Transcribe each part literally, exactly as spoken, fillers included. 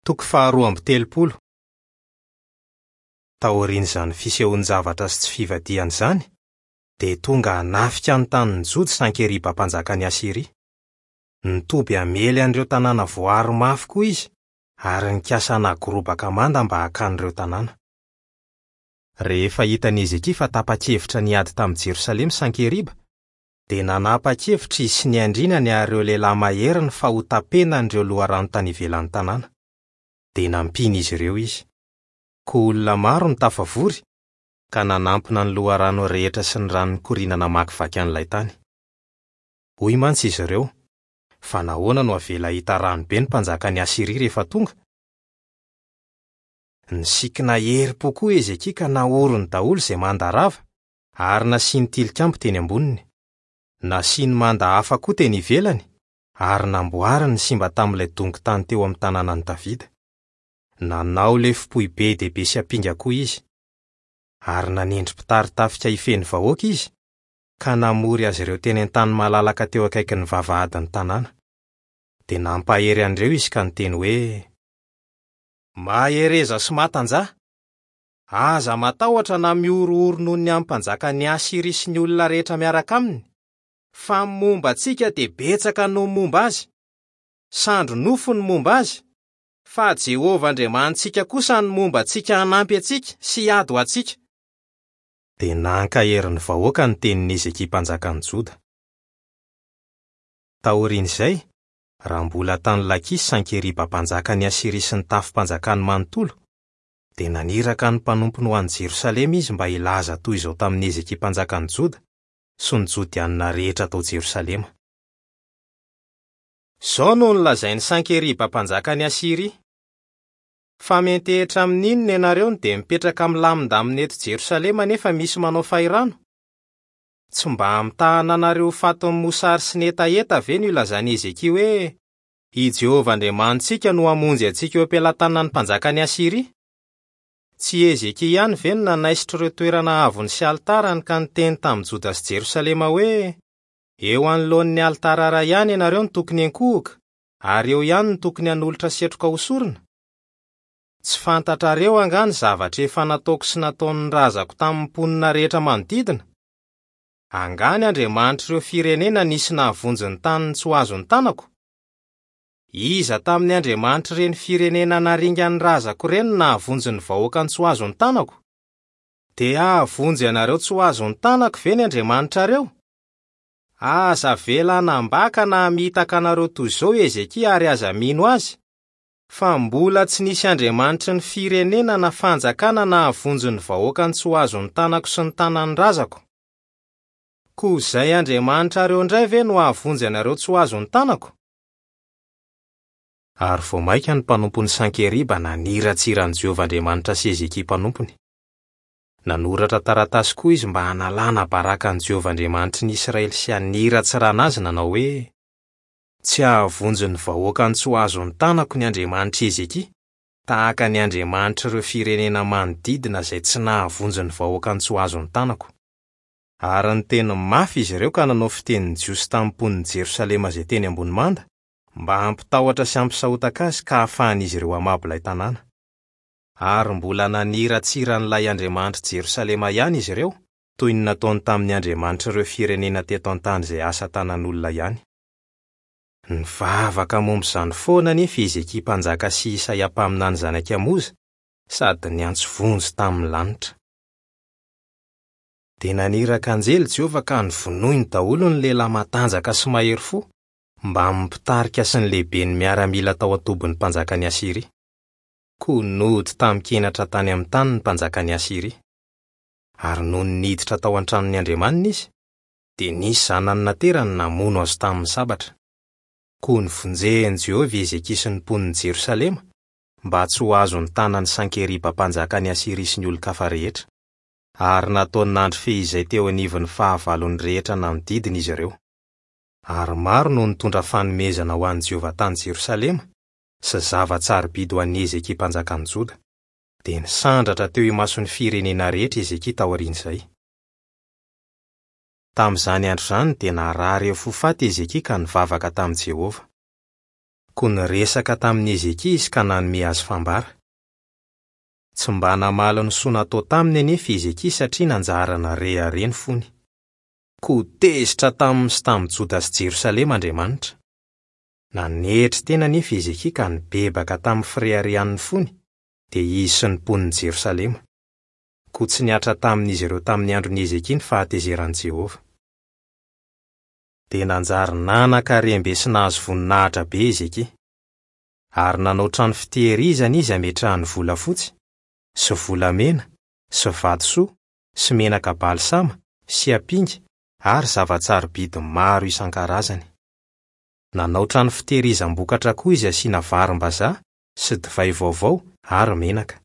Toko faharoa amby telopolo. Taorian'izany fisehoan-javatra sy tsy fivadihana izany, dia tonga hanafika ny tanin'ny Joda Sankeriba mpanjakan'i Asyria. Nitoby hamely an'ireo tanàna voaaro mafy koa izy ary nikasa hanagorobaka manda mba hakany ireo tanàna. Rehefa hitan'i Hezekia fa tapa-kevitra niady tamin'i Jerosalema Sankeriba, dia nanapa-kevitra izy sy ny andrinany ary ireo lehilahy maheriny fa ho tapenan'ireo loharano tany ivelan'ny tanàna. Dia nampian'izy ireo izy. Koa olona maro no tafavory ka nanampina ny loharano rehetra sy ny rano nikoriana namakivaky an'ilay tany. Hoy mantsy izy ireo, fa nahoana no avela hahita rano be ny mpanjakan'i Asyria rehefa tonga? Nisikina herim-po koa Hezekia ka nahorony daholo izay manda rava ary nasiany tilikambo teny amboniny. Nasiany manda hafa koa teny ivelany ary namboariny ny simba tamin'ilay dongon-tany teo amin'ny tanànan'i Davida. Nanao lefom-pohy be dia be sy ampinga koa izy. Ary nanendry mpitari-tafika hifehy ny vahoaka izy ka namory azy ireo teny an-tany malalaka teo akaikin'ny vavahadin'ny tanàna. Dia nampahery an'ireo izy ka niteny hoe: Mahereza sy matanjaha! Aza matahotra na mihorohoro noho ny amin'ny mpanjakan'i Asyria sy ny olona rehetra miaraka aminy, fa ny momba antsika dia betsaka noho ny momba azy. Sandry nofo ny momba azy, fa Jehovah Andriamanitsika kosa ny momba antsika hanampy antsika sy hiady ho antsika. Dia nankahery ny vahoaka ny tenin'i Hezekia mpanjakan'i Joda. Taorian'izay, raha mbola tany Lakisy Sankeriba mpanjakan'i Asyria sy ny tafim-panjakany manontolo, dia naniraka ny mpanompony ho any Jerosalema izy mba hilaza toy izao tamin'i Hezekia mpanjakan'i Joda sy ny Jodianina rehetra tao Jerosalema. Izao no nolazain'i Sankeriba mpanjakan'i Asyria: Fa miantehitra amin'inona ianareo no dia mipetraka milamindamina eto Jerosalema nefa misy manao fahirano? Tsy mba hamitahana anareo ho fatin'ny mosary sy ny hetaheta ve no ilazan'i Hezekia hoe: I Jehovah Andriamanitsika no hamonjy antsika eo am-pelatanan'ny mpanjakan'i Asyria? Tsy Hezekia ihany ve no nanaisotra ireo toerana avony sy alitarany ka niteny tamin'i Joda sy Jerosalema hoe: Eo anoloan'ny alitara iray ihany ianareo no tokony hiankohoka, ary eo ihany no tokony hanolotra setroka ho sorona? Tsy fantatrareo angaha ny zavatra efa nataoko sy nataon'ny razako tamin'ny mponina rehetra manodidina? Angaha ny andriamanitr'ireo firenena nisy nahavonjy ny taniny tsy ho azon'ny tanako? Iza tamin'ny andriamanitr'ireny firenena naringan'ny razako ireny no nahavonjy ny vahoakany tsy ho azon'ny tanako? Dia hahavonjy anareo tsy ho azon'ny tanako ve ny andriamanitrareo? Aza avela hanambaka na hamitaka anareo toy izao Hezekia ary aza mino azy, fa mbola tsy nisy andriamanitry ny firenena na fanjakana nahavonjy ny vahoakany tsy ho azon'ny tanako sy ny tanan'ny razako. Koa izay andriamanitrareo indray ve no hahavonjy anareo tsy ho azon'ny tanako? Ary vao mainka ny mpanompon'i Sankeriba naniratsira an'i Jehovah Andriamanitra sy Hezekia mpanompony. Nanoratra taratasy koa izy mba hanalana baraka an'i Jehovah Andriamanitry ny Israely sy haniratsirana azy nanao hoe: Tsy hahavonjy ny vahoakany tsy ho azon'ny tanako ny andriamanitr'i Hezekia, tahaka ny andriamanitr'ireo firenena manodidina izay tsy nahavonjy ny vahoakany tsy ho azon'ny tanako. Ary niteny mafy izy ireo ka nanao fitenin'ny Jiosy tamin'ny mponin'i Jerosalema izay teny ambony manda, mba hampitahotra sy hampisahotaka azy ka hahafahan'izy ireo hamabo ilay tanàna. Ary mbola naniratsira an'ilay andriamanitr'i Jerosalema ihany izy ireo, toy ny nataony tamin'ny andriamanitr'ireo firenena teto an-tany izay asa tanan'olona ihany. Nivavaka momba izany foana anefa Hezekia mpanjaka sy Isaia mpaminany zanak'i Amoza, sady niantso vonjy tamin'ny lanitra. Dia naniraka anjely Jehovah ka novonoiny daholo ny lehilahy matanjaka sy mahery fo, mbamin'ny mpitarika sy ny lehiben'ny miaramila tao an-tobin'ny mpanjakan'i Asyria. Koa nody tamin-kenatra tany amin'ny tany ny mpanjakan'i Asyria. Ary nony niditra tao an-tranon'ny andriamaniny izy, dia nisy zanany naterany namono azy tamin'ny sabatra. Koa novonjen'i Jehovah Hezekia sy ny mponin'i Jerosalema mba tsy ho azon'ny tanan'i Sankeriba mpanjakan'i Asyria sy ny olon-kafa rehetra. Ary nataony nandry fehizay teo anivon'ny fahavalony rehetra nanodidina izy ireo. Ary maro no nitondra fanomezana ho an'i Jehovah tany Jerosalema sy zava-tsarobidy ho an'i Hezekia mpanjakan'i Joda. Dia nisandratra teo imason'ny firenena rehetra Hezekia taorian'izay. Tamin'izany andro izany dia narary ho faty Hezekia ka nivavaka tamin'i Jehovah. Koa niresaka tamin'i Hezekia izy ka nanome azy fambara. Tsy mba namaly ny soa natao taminy anefa Hezekia satria nanjary narehareha ny fony. Koa tezitra taminy sy tamin'i Joda sy Jerosalema Andriamanitra. Nanetry tena anefa Hezekia ka nibebaka tamin'ny fireharehan'ny fony, dia izy sy ny mponin'i Jerosalema. Koa tsy nihatra tamin'izy ireo tamin'ny andron'i Hezekia ny fahatezeran'i Jehovah. Dia nanjary nanan-karem-be sy nahazo voninahitra be Hezekia. Ary nanao trano fitehirizana izy hametrahany volafotsy, sy volamena, sy vatosoa, sy menaka balsama, sy ampinga ary zava-tsarobidy maro isan-karazany. Nanao trano fitehirizam-bokatra koa izy asiana varim-bazaha sy divay vaovao ary menaka.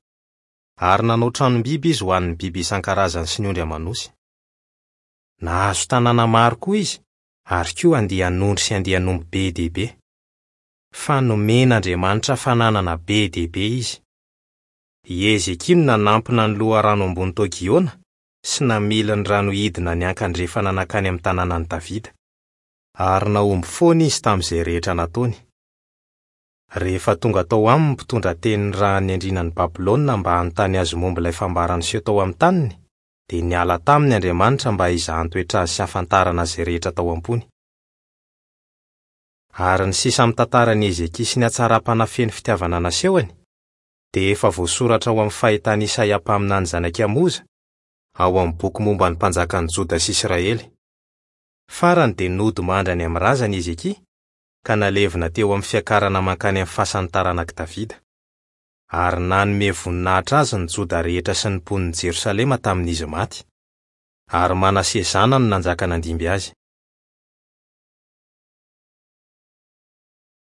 Ary nanao tranom-biby izy ho an'ny biby isan-karazany sy ny ondry aman'osy. Nahazo tanàna maro koa izy, ary koa andian'ondry sy andian'omby be dia be. Fa nomen'Andriamanitra fananana be dia be izy. I Hezekia no nanampina ny loharano ambony tao Giona sy namily ny rano hidina niankandrefana nankany amin'ny tanànan'i Davida. Ary nahomby foana izy tamin'izay rehetra nataony. Rehefa tonga tao aminy ny mpitondra tenin'ny rahan'ny andrianan'i Babylona mba hanontany azy momba ilay fambara niseho tao amin'ny taniny, dia niala taminy Andriamanitra mba hizahan-toetra azy sy hahafantarana izay rehetra tao am-pony. Ary ny sisa amin'ny tantaran'i Hezekia sy ny hatsaram-panahy feno fitiavana nasehony, dia efa voasoratra ao amin'ny fahitan'i Isaia mpaminany zanak'i Amoza, ao amin'ny boky momba ny mpanjakan'i Joda sy Israely. Farany dia nodimandry any amin'ny razany Hezekia, ka nalevina teo amin'ny fiakarana mankany amin'ny fasan'ny taranak'i Davida. Ary nanome voninahitra azy ny Joda rehetra sy ny mponin'i Jerosalema tamin'izy maty. Ary Manase zanany no nanjaka nandimby azy.